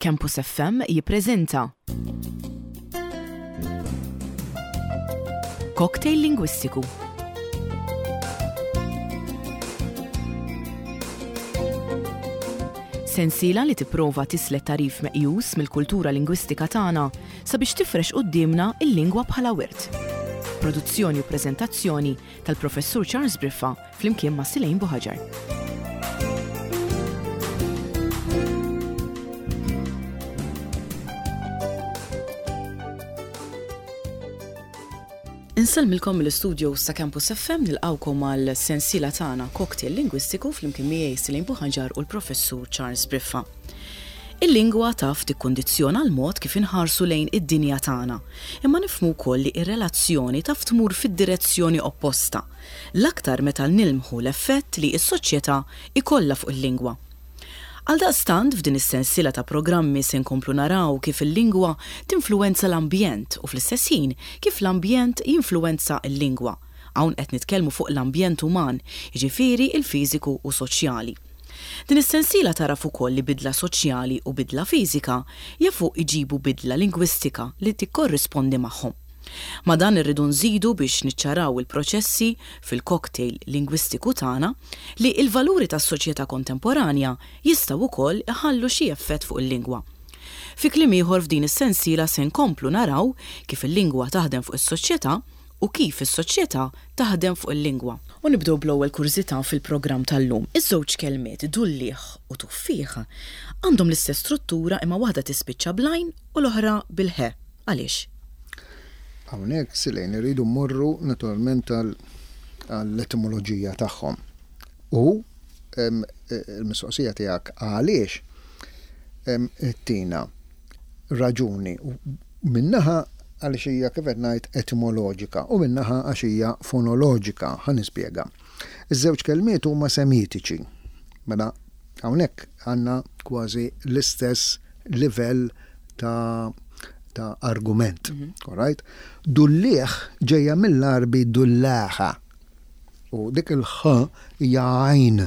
Campus FM jippreżenta Cocktail Lingwistiku. Sensiela li tipprova tislet tagħrif meqjus mill-kultura lingwistika tagħna sabiex tifrex quddiemna l-lingwa bħala wirt. Produzzjoni u preżentazzjoni tal-Professur Charles Briffa flimkien ma' Silejn Buħaġar. Insellmilkom mill-istudios ta' Campus FM nilqawkom għal sensiela tagħna Cocktail Lingwistiku flimkien miegħi Silejn Buħaġar u l-Professur Charles Briffa. Il-lingwa taf tikkundizzjona l-mod kif inħarsu lejn id-dinja tagħna, imma nifhmu wkoll li r-relazzjoni taf tmur fid-direzzjoni opposta, l-aktar meta nilmħu l-effett li s-soċjetà jkollha fuq il-lingwa. Għaldaqstant f'din is-sensiela ta' programmi se nkomplu naraw kif il-lingwa tinfluwenza l-ambjent u fl-istess ħin kif l-ambjent jinfluwenza l-lingwa. Hawn qed nitkellmu fuq l-ambjent uman, jiġifieri l-fiżiku u soċjali. Din is-sensiela tagħraf ukoll li bidla soċjali u bidla fiżika jafu jġibu bidla lingwistika li tikkorrispondi magħhom. Ma' dan irridu nżidu biex niċċaraw il-proċessi fil-cocktail lingwistiku tagħna li l-valuri tas-soċjetà kontemporanja jistgħu wkoll iħallu xi effett fuq il-lingwa. Fi kliem ieħor f'din is-sensiela se nkomplu naraw kif il-lingwa taħdem fuq is-soċjetà u kif is-soċjetà taħdem fuq il-lingwa. U nibdew bl-ewwel kurżità fil-programm tal-lum. Iż-żewġ kelmiet dulliegħ u tuffieħ għandhom l-istess struttura imma waħda tispiċċa bl-għajn u l-oħra bil-ħe. Għaliex? Hawnhekk, Silejn, irridu mmorru naturalment għall-etimoloġija tagħhom. U l-mistoqsija tiegħek għaliex ttina raġuni Minn naħa għaliex hija kif qed ngħid etimoloġika u minn naħa għax hija fonoloġika. Ħa nispjega. Iż-żewġ kelmiet huma Semitiċi. Mela hawnhekk għandna kważi l-istess livell ta' ta' argument. Mhm. All right? Dulliegħ ġejja mill-Għarbi dullaħa. U dik il-ħ hija għajn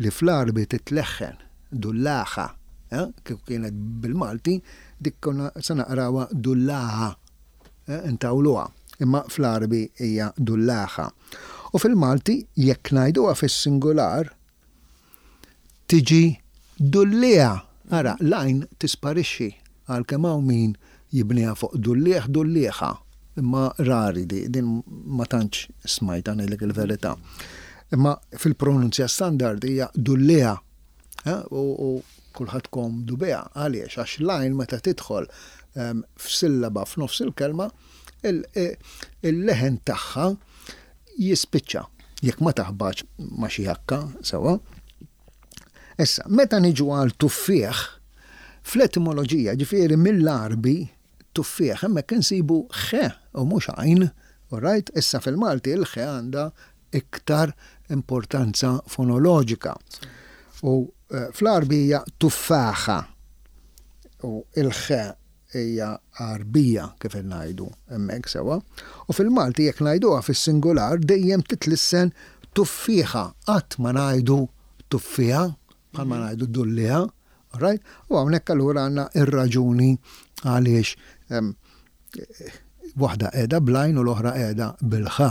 li fl-Għarbi titleħħen. Dullaħa, eh, kieku kienet bil-Malti, dik konna se naqrawha dullaħa, eh, intawluha, imma fl-Għarbi hija dullaħa. U fil-Malti, jekk ngħiduha fis-singular, tiġi dulliegħa. Ara, l-għajn tisparixxi, għalkemm hawn min jibniha fuq dulliegħ, dullieħa, imma rari di, din ma tantx smajtha ngħidlek il-verità. Imma fil-pronunzja standard hija dulliegħa. U kulħadd komdu biha. Għaliex? Għax l-għajn meta tidħol f'sillaba f'nofs il-kelma, il-leħen tagħha jispiċċa. Jekk ma taħbatx ma' xi hakka, sewwa. Issa, meta niġu għal tuffieħ, fl-etimoloġija, ġifieri mill-Għarbi, tuffieħ, hemmhekk insibu ħe u mhux għajn, all right? Issa fil-Malti il-ħe għandha iktar importanza fonoloġika. U eh, fl-Għarbi hija tuffaħa u il-ħe hija Għarbija kif qed ngħidu hemmhekk sewwa. U fil-Malti jekk ngħiduha fis-singular dejjem titlissen tuffieħa, qatt ma ngħidu tuffieħa bħalma mhm. ngħidu dulliha, right? U hawnhekk allura għandna ir-raġuni għaliex waħda qiegħda bl-għajn u l-oħra qiegħda bil-ħa.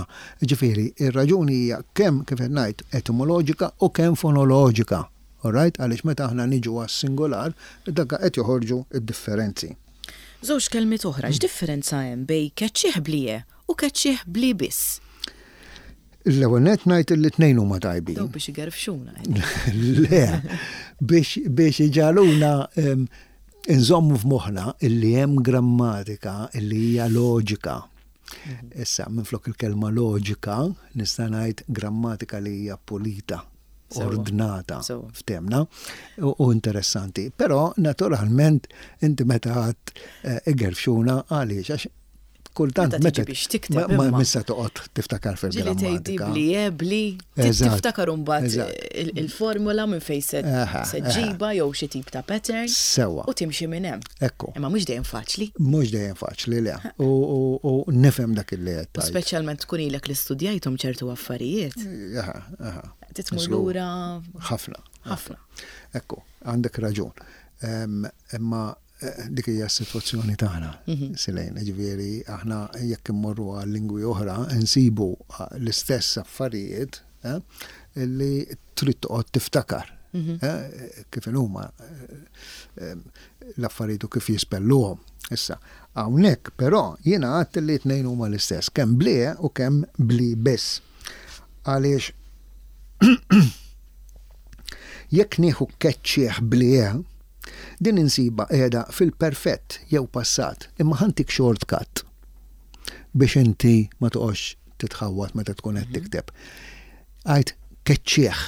Ġifieri, ir-raġuni hija kemm kif qed ngħid etimoloġika u kemm fonoloġika. Alright? Għaliex meta aħna niġu għas-singular, dak qed joħorġu d-differenzi. Żewġ kelmiet oħra, x'differenza hemm bejn keċċieħ bl-ie u keċċieħ bl-i biss? L-ewwel nett ngħid li t-tnejn huma tajbin. Dawk biex igerfxuna. Le, biex biex iġagħluna inżommu f'moħħna illi hemm grammatika illi hija loġika. Mhm. Issa, minflok il-kelma loġika, nista' ngħid grammatika li hija pulita ordnata f'temna u interessanti. Però naturalment inti meta għad eh, igerfxuna għaliex għax kultant meta biex tikteb ma missa toqgħod tiftakar fil-grammatika. Bli ebli, tiftakar imbagħad il-formula minn fejn se ġiba jew xi tip ta' pattern. Sewa. U timxi minn hemm. Ekku. Imma mhux dejjem faċli. Mhux dejjem faċli le. U nifhem dak il-li qed. Speċjalment tkun ilek li studjajthom ċertu affarijiet. Aha, aha. Titmur lura. Ħafna. Ħafna. Ekku, għandek raġun. Imma dik hija s-sitwazzjoni tagħna, Silejn, jiġifieri aħna jekk immorru għal lingwi oħra nsibu l-istess affarijiet li trid toqgħod tiftakar kif inhuma l-affarijiet u kif jispelluhom. Issa, hawnhekk però jiena għedt li t-tnejn huma l-istess, kemm bl-e u kemm bl-i biss. Għaliex jekk nieħu keċċieħ bl-e, din insibha qiegħda fil-perfett jew passat, imma ħa ntik shortcut biex inti ma toqgħodx titħawwad meta tkun qed tikteb. Għid keċċieħ.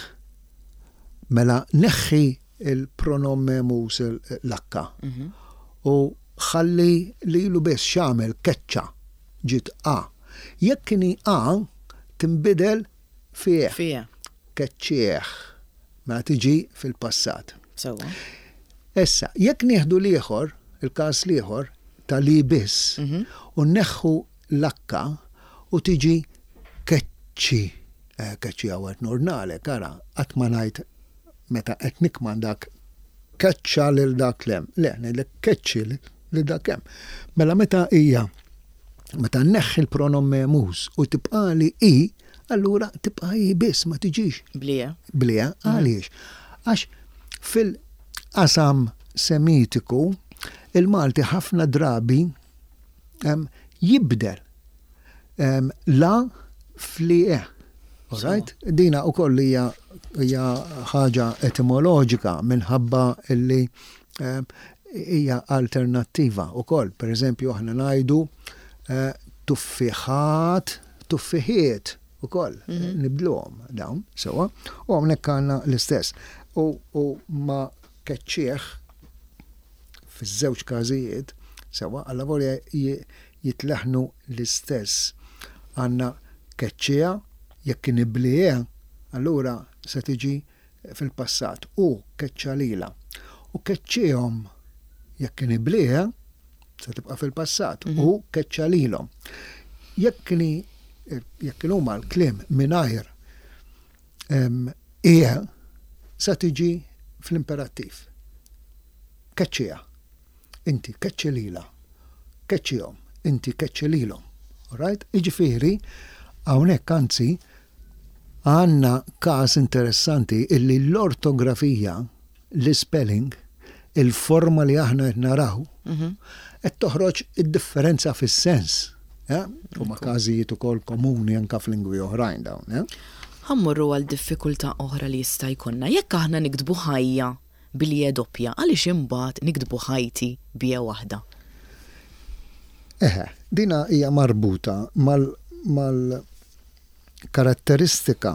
Mela neħħi il-pronom memus l-akka u ħalli lilu biss x'għamel keċċa ġiet a. Jekk inhi a tinbidel fi e. Fi e. Keċċieħ. Mela tiġi fil-passat. Sewwa. Issa, jekk nieħdu l-ieħor, il-każ l-ieħor, ta' li biss, u nneħħu l-akka u tiġi keċċi. Eh, keċċi hawn qed nordnalek, ara, qatt ma ngħid meta qed nikkmandak keċċa lil dak l-hemm. Le, ngħidlek keċċi lil dak hemm. Mela meta hija meta nneħħi l-pronom memus u tibqali i, allura tibqa' i biss ma tiġix. Blie. Blie, għaliex? Għax fil-qasam semitiku il-Malti ħafna drabi jibdel la fli e. Right? Dina u koll hija ħaġa etimoloġika minħabba illi hija alternattiva u koll. Per eżempju, aħna ngħidu eh, tuffiħat, tuffiħiet u koll, mhm. nibdluhom dawn, sewa, u hawnhekk għandna l-istess. U, u ma keċċieħ fiż-żewġ każijiet, sewa, alla volja jitleħnu l-istess. Għandna keċċieha, jekk kien iblieh, allura se tiġi fil-passat, hu keċċa lilha. U keċċiehom, jekk kien iblieh, se tibqa' fil-passat, mhm. hu keċċa lilhom. Jekk kien jekk kien huma l-kliem mingħajr ie sa tiġi fl-imperattiv. Keċċiha. Inti keċċi lilha. Keċċihom. Inti keċċi lilhom. Alright? Jiġifieri, hawnhekk anzi għandna każ interessanti illi l-ortografija, l-ispelling, il-forma li aħna qed naraw, mhm. qed toħroġ id-differenza fis-sens. Huma każijiet ukoll komuni anke f'lingwi oħrajn dawn. Ħa mmorru għal diffikultà oħra li jista' jkollna. Jekk aħna niktbu ħajja bil-je doppja, għaliex imbagħad niktbu ħajti b'je waħda? Eħe, dina hija marbuta mal-karatteristika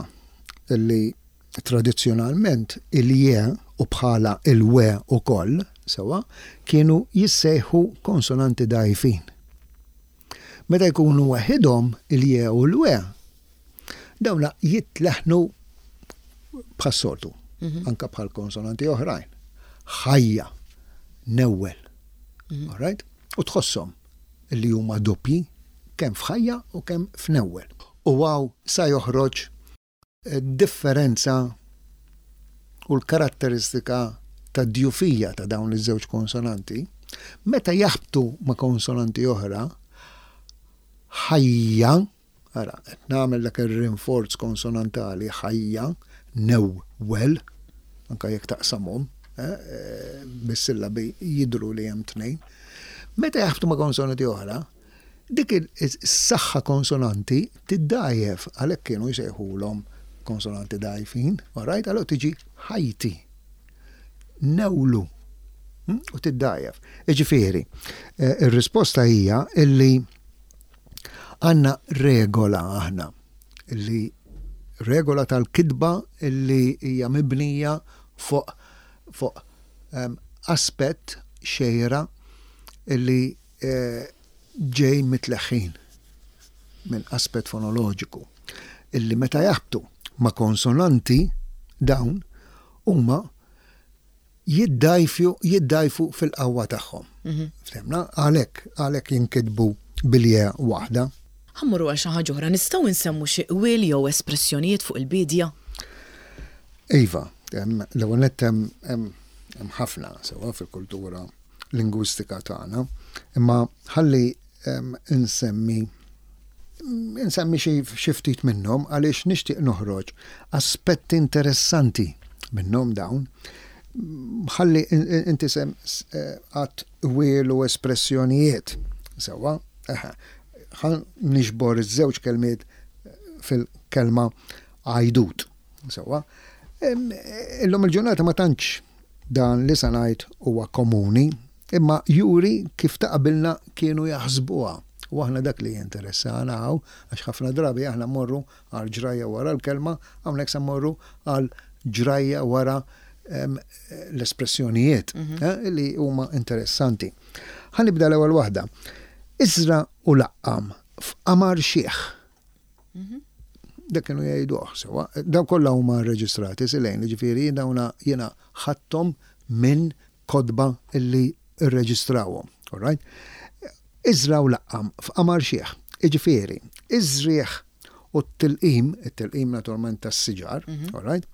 li tradizzjonalment il-je u bħala il-we ukoll, sewwa, kienu jissejħu konsonanti dgħajfin. Meta jkunu waħidhom il-je u l-we, dawna jitleħħnu bħas-soltu, mhm. anka bħal konsonanti oħrajn. Ħajja, newwel. Mhm. All right? U tħosshom li huma doppji kemm f'ħajja u kemm f'newwel. U għaw sa joħroġ differenza u l-karatteristika tad-djufija ta' dawn iż-żewġ konsonanti, meta jaħbtu ma' konsonanti oħra, ħajja, ara, qed nagħmel dak ir-rinforz konsonantali, ħajja, newwel, anke jekk taqsamhom, eh, bis-sillabi jidhru li hemm tnejn. Meta jaħbtu ma' konsonanti oħra, Dik is-saħħa konsonanti tiddgħajjef, għalhekk kienu jsejħulhom konsonanti dgħajfin, all right? Allura tiġi ħajti, newlu, hm? u tiddgħajjef. Jiġifieri, eh, ir-risposta hija illi għandna regola aħna, illi regola tal-kitba illi hija mibnija fuq fuq ehm, aspett xejra illi ġej mit-tleħħin minn aspett fonoloġiku illi meta jaħbtu ma' konsonanti dawn huma jiddgħajfu jiddgħajfu fil-qawwa tagħhom. Mhm. Ftemna? Għalhekk għalhekk jinkitbu bil-je waħda. Ħa mmorru għal xi ħaġa oħra, nistgħu nsemmu xi qwiel jew espressjonijiet fuq il-biedja? Iva, l-ewwel nett hemm Hemm ħafna sewwa fil-kultura lingwistika tagħna, imma ħalli insemmi insemmi xi ftit minnhom għaliex nixtieq noħroġ aspetti interessanti minnhom dawn. Ħalli inti sem għat wielu espressjonijiet sewwa, ħa niġbor iż-żewġ kelmiet fil-kelma għajdut. Sewwa. Illum il-ġurnata ma tantx dan li sa ngħid huwa komuni, imma juri kif ta' qabilna kienu jaħsbuha. U aħna dak li jinteressana hawn, għax ħafna drabi aħna mmorru għal ġrajja wara l-kelma, hawnhekk se mmorru għal ġrajja wara l-espressjonijiet mhm. eh, li huma interessanti. Ħa nibda l-ewwel waħda. Iżra u laqqam f'qamar xiħ. Mhm. Dak kienu jgħiduh sewa. Dawn kollha huma rreġistrati silejn, ġifieri dawna jiena ħadthom minn kotba illi rreġistrawhom. All right? Iżra u laqqam f'qamar xiħ. Iġifieri, iż-żrigħ u t-tilqim, it-tilqim naturalment tas-siġar, mhm. all right?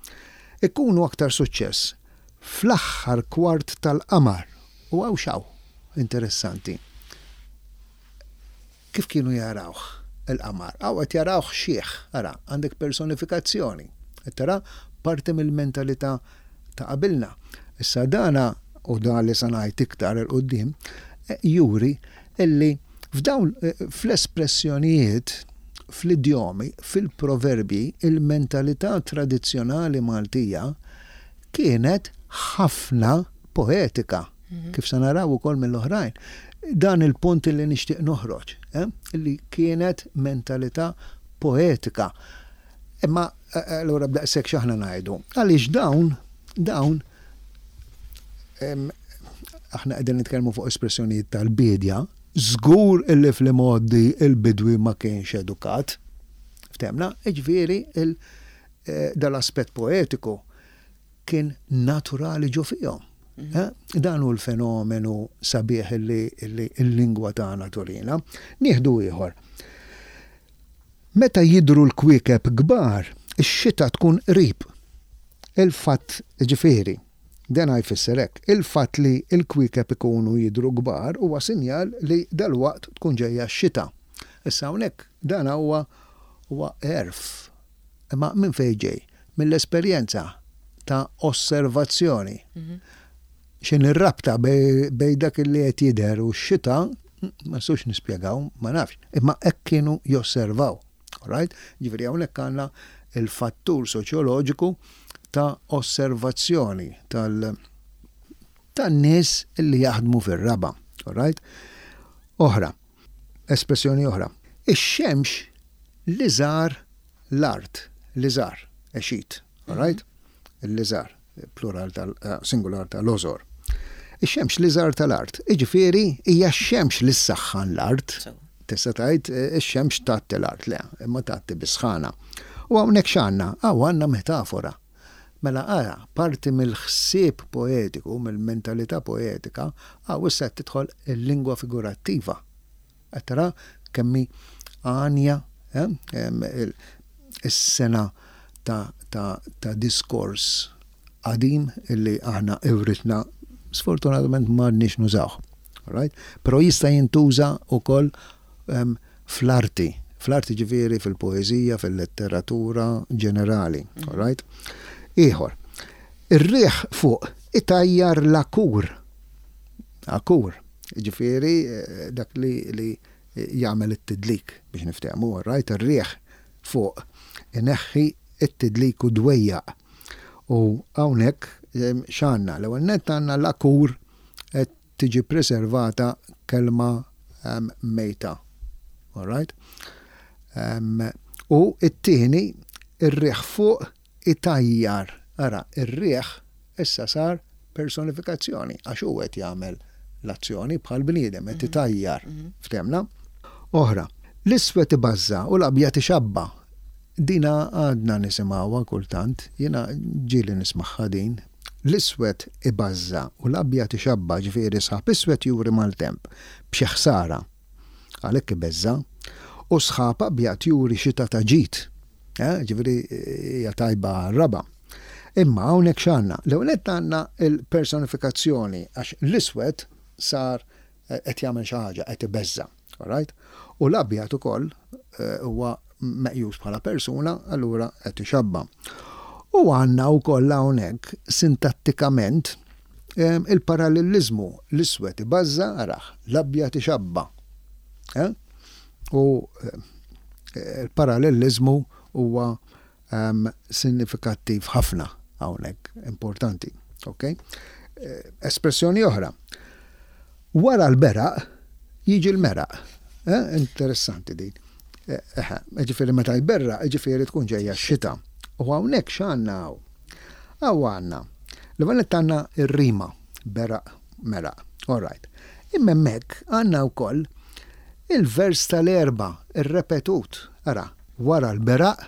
Ikunu aktar suċċess fl-aħħar kwart tal-qamar. U hawn x'hawn interessanti. Kif kienu jarawh il-qamar? Hawn qed jarawh xiħ, ara, għandek personifikazzjoni. Qed tara parti mill-mentalità ta' qabilna. Issa dana, u dan li se ngħid iktar 'il quddiem, juri illi f'dawn fl-espressjonijiet, fl-idjomi, fil-proverbji, il-mentalità tradizzjonali Maltija kienet ħafna poetika. Kif se naraw ukoll mill-oħrajn. Dan il-punt li nixtieq noħroġ, eh, li kienet mentalità poetika. Imma eh, allura b'daqshekk x'aħna ngħidu? Għaliex dawn dawn aħna qegħdin nitkellmu fuq espressjonijiet tal-biedja, żgur illi fl-imgħoddi il-bidwi ma kienx edukat. Ftemna, ġifieri eh, dal-aspett poetiku kien naturali ġo fihom. Eh? Dan hu l-fenomenu sabiħ li l-lingwa tagħna turina. Nieħdu ieħor. Meta jidhru l-kwiekeb kbar, ix-xita tkun qrib. Il-fatt, ġifieri, dan jfisser hekk, il-fatt li l-kwiekeb ikunu jidhru kbar huwa sinjal li dalwaqt tkun ġejja x-xita. Issa hawnhekk dan huwa huwa għerf Imma minn fejn ġej? Mill-esperjenza ta' osservazzjoni. X'inhi r-rabta bejn dak li qed jidher u x-xita, ma nistgħux nispjegaw, ma nafx. Imma hekk kienu josservaw. Right? Ġifieri hawnhekk għandna il-fattur soċjoloġiku ta' osservazzjoni tal- tan-nies li jaħdmu fir-raba'. Right? Oħra, espressjoni oħra. Ix-xemx li żar l-art, liżar, a sheet, all right? Il-liżar, plural tal eh, singular tal-ożor. Ix-xemx liżar tal-art, jiġifieri hija x-xemx li ssaħħan l-art. Tista' tgħid eh, ix-xemx tgħatti l-art, le, imma tgħatti bis-sħana. U hawnhekk x'għandna? Hawn għandna metafora. Mela ara, parti mill-ħsieb poetiku, mill-mentalità poetika, hawn issa qed tidħol il-lingwa figurattiva. Qed tara kemm hi għanja is-sengħa ta' diskors qadim illi aħna writna sfortunatament m'għadniex nużawh. Right? Però jista' jintuża wkoll fl-arti, fl-arti ġifieri fil-poeżija, fil-letteratura ġenerali. Right? Ieħor, ir-riħ fuq itajjar l-akur. Akur. Jiġifieri dak li li jagħmel it-tidlik biex niftehmu, all right, ir-riħ fuq ineħħi t-tidlik u dwejjaq. U hawnhekk x'għandna? L-ewwel nett għandna l-akur qed tiġi preservata kelma mejta. All right? U t-tieni ir-riħ fuq itajjar. Ara, ir-riħ issa sar personifikazzjoni għax hu qed jagħmel l-azzjoni bħal bniedem qed itajjar. Ftehmna? Oħra, l-iswed ibażża' u l-abjad ixabba'. Dina għadna nisimgħuha kultant, jiena ġieli nismagħha din. L-iswed ibażża' u l-abjad ixabba' ġifieri sħab iswed juri maltemp b'xi ħsara. Għalhekk ibeżża'. U sħab abjad juri xita ta' ġid. Eh, ġifieri hija tajba għar-raba'. Imma hawnhekk x'għandna? L-ewwel nett għandna l-personifikazzjoni għax l-iswed sar qed jagħmel xi ħaġa, qed ibeżża'. Alright? U l-abjad ukoll huwa meqjus bħala persuna, allura qed ixabba'. U għandna wkoll hawnhekk sintattikament il-paralleliżmu, l-iswed ibażża', arah, l-abjad ixabba'. Eh? U l-paralleliżmu huwa sinifikattiv ħafna hawnhekk, importanti. Ok? Espressjoni oħra. Wara l-beraq jiġi l-meraq. Eh? Interessanti din. Eh, ġifieri meta jberraq, ġifieri tkun ġejja x-xita. U hawnhekk x'għandna hawn? Hawn għandna. L-ewwel għandna r-rima, beraq, meraq. All right. Imma hemmhekk għandna wkoll il-vers tal-erba, ir-repetut. Ara, Wara l-beraq,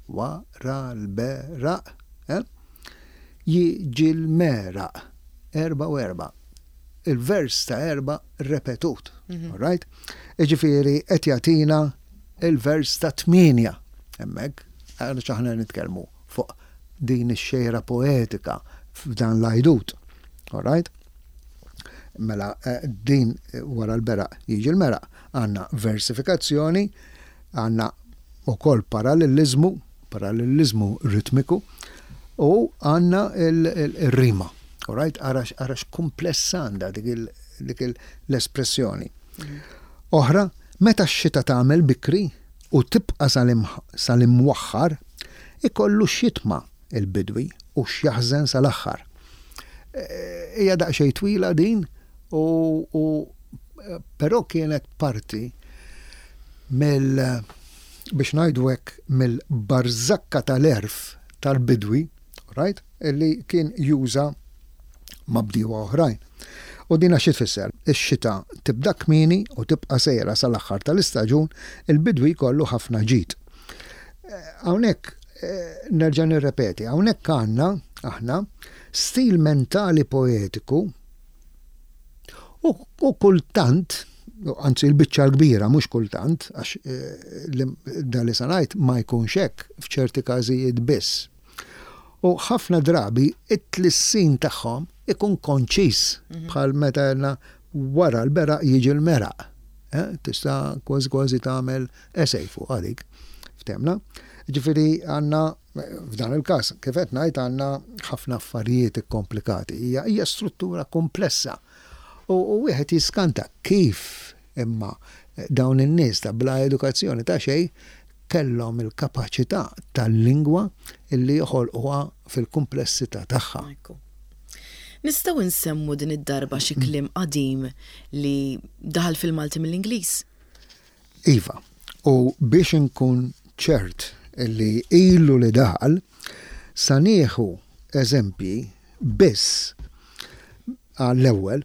wara l-beraq, eh? Jiġi l-meraq. 4 u 4. Il-vers ta' erba' repetut. All right? Jiġifieri qed jagħtina il-vers ta' tmienja hemmhekk, għaliex aħna nitkellmu fuq din ix-xejra poetika f'dan l-għajdut. All right? Mela din wara l-beraq jiġi l-meraq. Għandna versifikazzjoni, għandna wkoll paralleliżmu, paralleliżmu ritmiku, u għandna il-rima. All right? Ara x'kumpless għandha dik l-espressjoni. Oħra, meta x-xita tagħmel bikri u tibqa' sal-imwaħħar, ikollu x'jitma' il-bidwi u x'jaħżen sal-aħħar. Hija daqsxejn twila din u, u però kienet parti mill biex ngħidu hekk mill-barżakka tal-għerf tal-bidwi, right, li kien juża ma' bdiewa oħrajn. U dina xi tfisser? Ix-xita tibda kmieni u tibqa' sejra sal-aħħar tal-istaġun, il-bidwi jkollu ħafna ġid. Hawnhekk nerġa' nirrepeti, hawnhekk għandna aħna stil mentali poetiku u, u kultant, anzi l-biċċa l-kbira mhux kultant, għax dan li se ngħid ma jkunx hekk f'ċerti każijiet biss. U ħafna drabi it-tlissin tagħhom ikun konċiż bħal meta għedna wara l-beraq jiġi l-meraq. Tista' kważi kważi tagħmel essay fuqha dik. Ftemna? Ġifieri għandna f'dan il-każ, kif qed ngħid għandna ħafna affarijiet ikkomplikati. Hija hija struttura komplessa. U wieħed jiskanta kif imma dawn in-nies ta' bla edukazzjoni ta' xejn kellhom il-kapaċità tal-lingwa illi joħolquha fil-kumplessità tagħha. Ekku. Nistgħu nsemmu din id-darba xi kliem qadim li daħal fil-Malti mill-Ingliż? Iva, u biex inkun ċert li ilu li daħal, sa nieħu eżempji biss għall-ewwel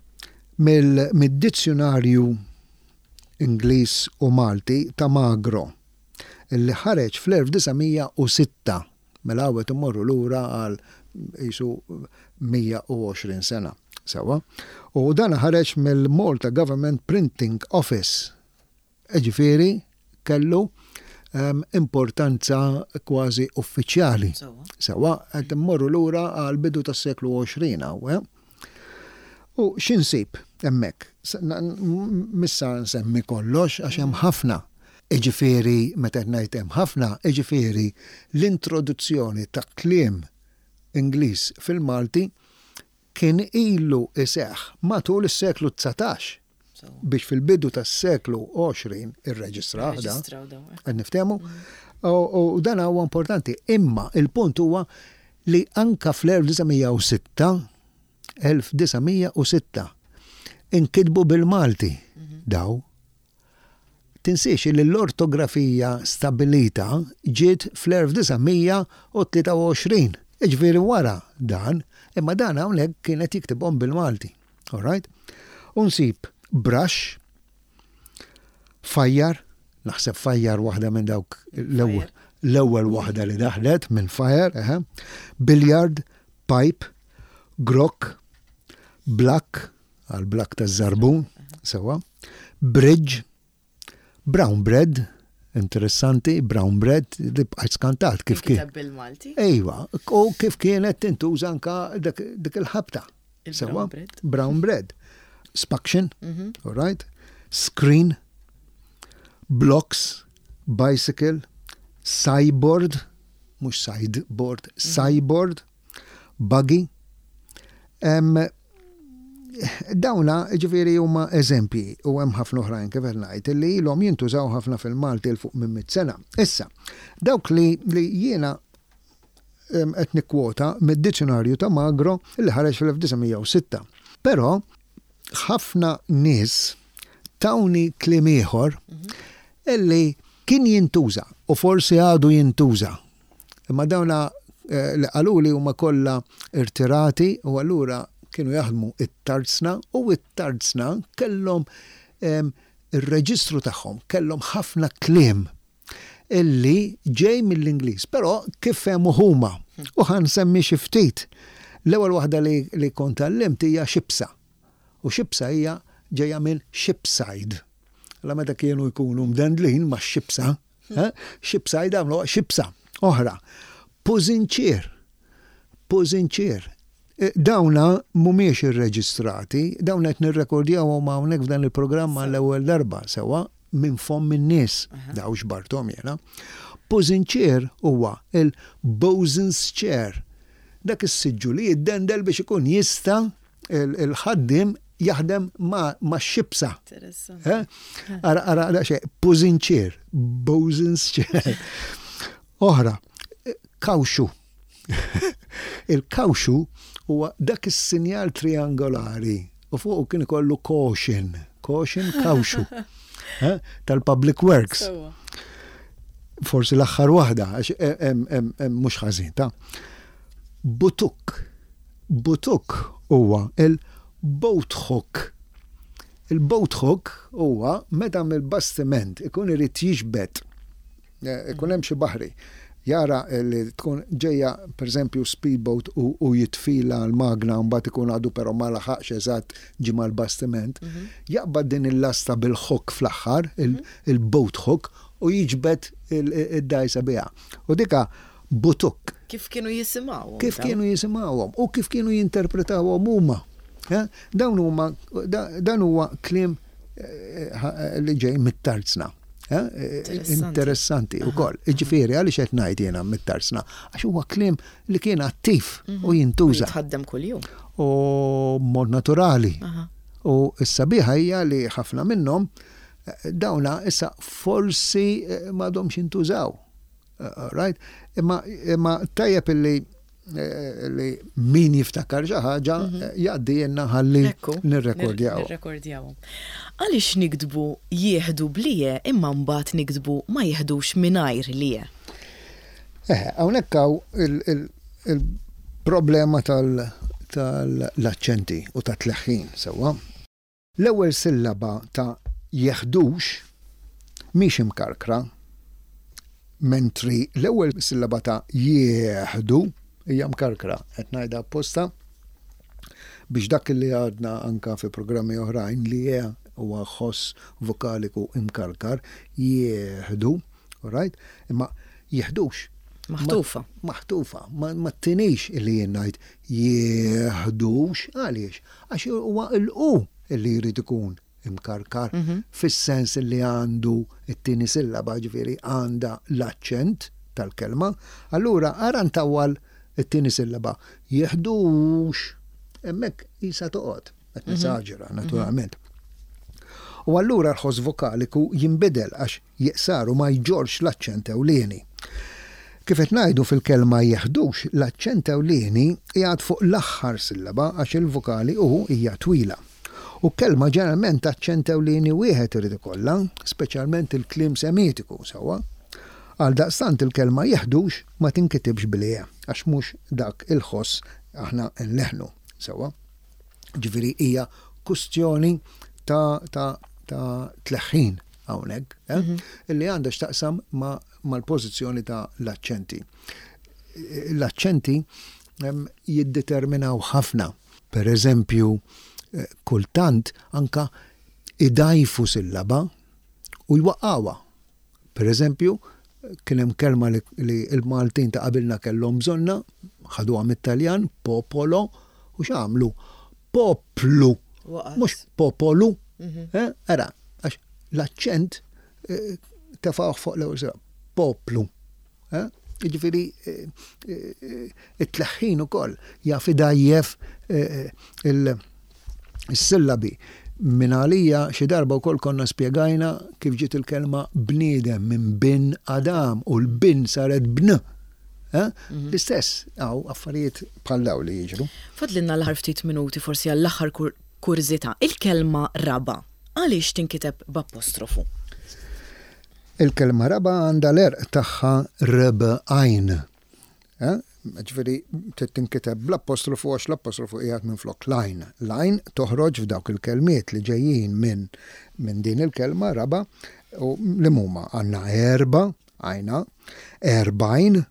mid-dizzjunarju Ingliż u Malti ta' Magro li ħareġ fl-1906, mela hawn qed immorru lura għal qisu 120 sena, sewwa, u dan ħareġ mill-Malta Government Printing Office, jiġifieri kellu importanza kważi uffiċjali. Sewwa, qed immorru lura għall-bidu tas-seklu 20 hawn, eh? U x'insib hemmhekk? Mhux sa nsemmi kollox għax hemm ħafna. Jiġifieri meta qed ngħid hemm ħafna, jiġifieri l-introduzzjoni ta' kliem Ingliż fil-Malti kien ilu jseħħ matul is-seklu 19 biex fil-bidu tas-seklu 20 irreġistrah da. Qed niftehmu? U dan huwa importanti. Imma il-punt huwa li anka fl-1906 1906 inkitbu bil-Malti daw. Tinsiex li l-ortografija stabilita ġiet fl-1923. Jiġifieri wara dan, imma dan hawnhekk kienet jiktibhom bil-Malti. All right? U nsib brush, fajjar, naħseb fajjar waħda minn dawk l-ewwel waħda li daħlet minn fire, eħe, billiard, pipe, grok, black, għal black ta' żarbun, sewa, bridge, brown bread, Interessanti, brown bread, li bqajt skantat kif kien. Bil-Malti? Ejwa, u kif kienet tintuża anka dik il-ħabta. Brown bread. Brown bread. Spaction, all right? Screen, blocks, bicycle, cyborg, mhux sideboard, cyborg, buggy. Dawna ġifieri huma eżempji u hemm ħafna oħrajn kif qed ngħid li ilhom jintużaw ħafna fil-Malti 'l fuq minn mitt sena. Issa, dawk li li jiena qed nikkwota mid-dizzjunarju ta' Magro li ħareġ fil-1906. Però ħafna nies tawni kliem ieħor illi kien jintuża u forsi għadu jintuża. Imma dawna li qaluli huma kollha irtirati u allura kienu jaħdmu it-tarzna u it-tarzna kellhom ir-reġistru tagħhom, kellhom ħafna kliem illi ġej mill-Ingliż, però kif fehmu huma. U ħa nsemmi xi ftit. L-ewwel waħda li, li kont tgħallimt hija xibsa. U xibsa hija ġejja minn shipside. La meta kienu jkunu mdendlin ma' xibsa, eh, shipside għamlu xibsa oħra. Pużinċier. Pużinċier. Eh, dawna mhumiex irreġistrati, dawna qed nirrekordjawhom hawnhekk f'dan il-programm għall-ewwel darba sewwa minn fomm in-nies, daw xbarthom jiena. Pużinċier huwa il-bosun's chair. Dak is-siġġu li jiddendel biex ikun jista' il-ħaddiem jaħdem ma' xibsa. Eh? Ara, ara, daqsxejn, pużinċier, bosun's chair. Oħra, kawxu. Il-kawxu huwa dak is-sinjal triangolari u fuqu kien ikollu caution, caution kawxu eh, tal-Public Works. Forsi l-aħħar waħda, għax mhux ħażin ta' Butuk. Butuk huwa il-boat hook. Il-boat hook huwa meta mill-bastiment ikun irid jiġbed eh, ikun hemm xi baħri jara li tkun ġejja pereżempju speedboat u, u jitfila l-magna mbagħad ikun għadu però ma laħaqx eżatt ġie mal-bastiment, mhm. jaqbad din il-lasta bil-hook fl-aħħar, mhm. il-boat hook, u jiġbed id-dajsa biha. U dika butuk. Kif kienu jisimgħuhom. Kif kienu jisimgħuhom u kif kienu jinterpretawhom huma. Eh? Dawn huma dan huwa kliem eh, li ġej mit-tarzna. Eh, interessanti u koll. Ġifieri, għaliex qed ngħid jiena mit-tarsna? Għax huwa kliem li kien attiv mhm. u jintuża. Jitħaddem kuljum. U mod naturali. U s-sabiħa hija li ħafna minnhom eh, dawna issa forsi eh, m'għadhomx jintużaw. Right? Imma, imma tajjeb illi Eh, li min jiftakar xi ħaġa mhm. eh, jgħaddi jenna ħalli nirrekordjaw. Nirrekordjaw. Għaliex niktbu jieħdu blije imma mbagħad niktbu ma jieħdux mingħajr lije? Eh, hawnhekk hawn il-problema tal-aċċenti u tat-tleħħin sewwa. L-ewwel sillaba ta' jeħdux mhix imkarkra, mentri l-ewwel sillaba ta' jieħdu hija mkarkra. Qed ngħidha apposta biex dak li għadna anka fi programmi oħrajn li e huwa ħoss vokaliku imkarkar, jieħdu, all right? Imma jeħdux. Maħtufa. Maħtufa. Ma tinix illi jien ngħid jieħdux għaliex? Għax huwa l-u li jrid ikun imkarkar mhm. fis-sens li għandu t-tieni sillaba ġifieri għandha l-aċċent tal-kelma. Allura ara ntawwal it-tieni sillaba jeħdux hemmhekk isa toqgħod. Qed mhm. nesaġera mhm. naturalment. U allura l-ħoss vokaliku jinbidel għax jiqsar u ma jġorrx l-aċċent ewlieni. Kif qed ngħidu fil-kelma jeħdux, l-aċċent ewlieni qiegħed fuq l-aħħar sillaba għax il-vokali u hija twila. U kelma ġeneralment aċċent ewlieni wieħed irid ikollha, speċjalment il-kliem Semitiku, sewwa? Għaldaqstant il-kelma jeħdux ma tinkitibx bl-e għax mhux dak il-ħoss aħna nleħħnu, sewwa? Ġifieri hija kustjoni ta' ta' ta' tleħħin hawnhekk, eh? Mhm. illi għandha x'taqsam mal-pożizzjoni ta' l-aċċenti. L-aċċenti jiddeterminaw ħafna. Per eżempju, eh, kultant anka idajfu sillaba u jwaqqawha. Per eżempju, kien hemm kelma li l-Maltin ta' qabilna kellhom bżonnha, ħaduha mit-Taljan, popolo, u x'għamlu? Poplu, mhux popolu. Mhm. Eh, ara, għax l-aċċent eh, tefgħuh fuq l-ewwel sena, poplu. Eh? Jiġifieri it-tleħħin ukoll jaf idgħajjef il-sillabi. Min għalija xi darba wkoll konna spjegajna kif ġiet il-kelma bniedem minn bin Adam u l-bin saret bn. Eh? Mhm. L-istess hawn affarijiet bħal dawn li jiġru. Fadlilna l-aħħar ftit minuti forsi għall-aħħar kurżità. Il-kelma raba' għaliex tinkiteb b'apostrofu? Il-kelma raba' għandha l-għerq tagħha rb għajn. Ġifieri trid tinkiteb bl-apostrofu għax l-apostrofu qiegħed minflok l-għajn. L-għajn toħroġ f'dawk il-kelmiet li ġejjin minn minn din il-kelma raba' u li huma għandna erba' għajna, 40,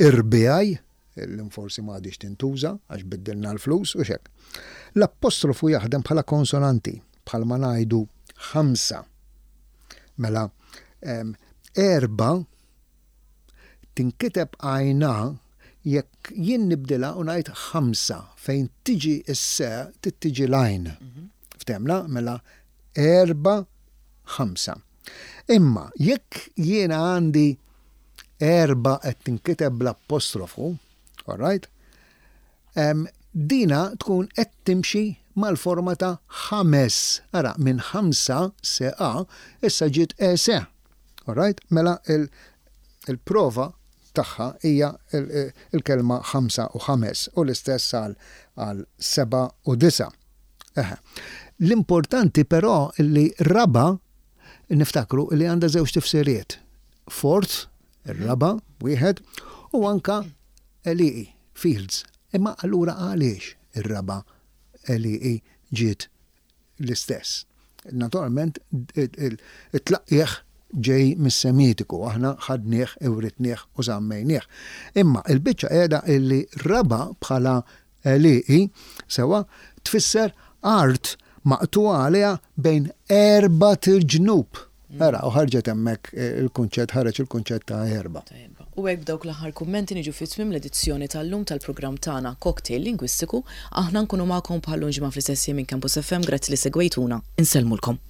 irbiegħi, illum forsi ma għadhiex tintuża għax biddilna l-flus u x'hekk. L-apostrofu jaħdem bħala konsonanti, bħalma ngħidu ħamsa. Mela, erba' tinkiteb għajna jekk jien nibdilha u ngħid ħamsa fejn tiġi s-se trid tiġi l-għajn. Mhm. Ftemna? Mela erba' ħamsa. Imma jekk jiena għandi erba' qed tinkiteb bl-apostrofu, all right? Dina tkun qed timxi mal-forma ta' ħames. Ara, minn ħamsa se a, issa ġiet e se. All right? Mela il-prova tagħha hija il-kelma ħamsa u ħames u l-istess għal seba' u disa'. Eħe. L-importanti però li raba' niftakru li għandha żewġ tifsiriet. Fourth, ir-raba' wieħed, u anka għelieqi, fields. Imma allura għaliex ir-raba' għelieqi ġiet l-istess? Naturalment it-tlaqqigħ ġej mis-Semitiku, aħna ħadnieh, iwritnieh u żammejnieh. Imma l-biċċa qiegħda illi raba' bħala għelieqi, sewwa, tfisser art maqtugħa għaliha bejn erbat irġnub. Ara, u ħarġet hemmhekk il-kunċett, ħareġ il-kunċett ta' erba'. Ta' erba'. U hekk b'dawk l-aħħar kummenti niġu fi tmiem l-edizzjoni tal-lum tal-programm tagħna Cocktail Lingwistiku. Aħna nkunu magħkom bħal-lum ġimgħa fl-istess jiem minn Campus FM. Grazzi li segwejtuna. Insellmulkom.